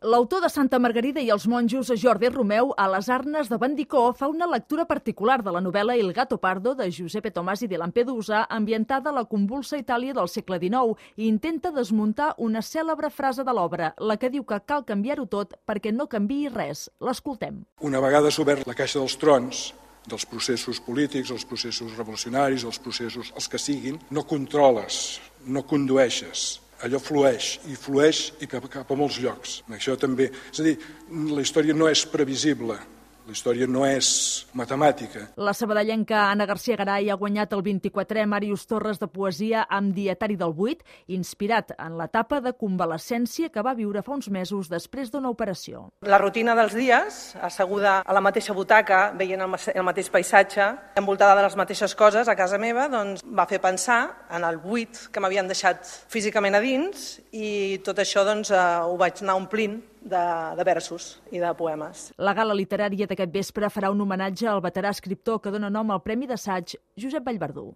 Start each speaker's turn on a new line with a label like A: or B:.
A: L'autor de Santa Margarida i els monjos, Jordi Romeu, a les Arnes de Bandicó, fa una lectura particular de la novel·la Il gatto pardo de Giuseppe Tomasi di Lampedusa, ambientada a la convulsa Itàlia del segle XIX, i intenta desmuntar una cèlebre frase de l'obra, la que diu que cal canviar-ho tot perquè no canviï res. L'escoltem.
B: Una vegada s'ha obert la caixa dels trons, dels processos polítics, els processos revolucionaris, els processos, els que siguin, no controles, no condueixes. Allò flueix i cap a molts llocs. Això també. És a dir, la història no és previsible, la història no és matemàtica.
A: La sabadellenca Anna García Garay ha guanyat el 24è Màrius Torres de Poesia amb Dietari del Buit, inspirat en l'etapa de convalescència que va viure fa uns mesos després d'una operació.
C: La rutina dels dies, asseguda a la mateixa butaca, veient el mateix paisatge, envoltada de les mateixes coses a casa meva, doncs va fer pensar en el buit que m'havien deixat físicament a dins i tot això doncs, ho vaig anar omplint de versos i de poemes.
A: La gala literària d'aquest vespre farà un homenatge al veterà escriptor que dona nom al Premi d'Assaig, Josep Vallverdú.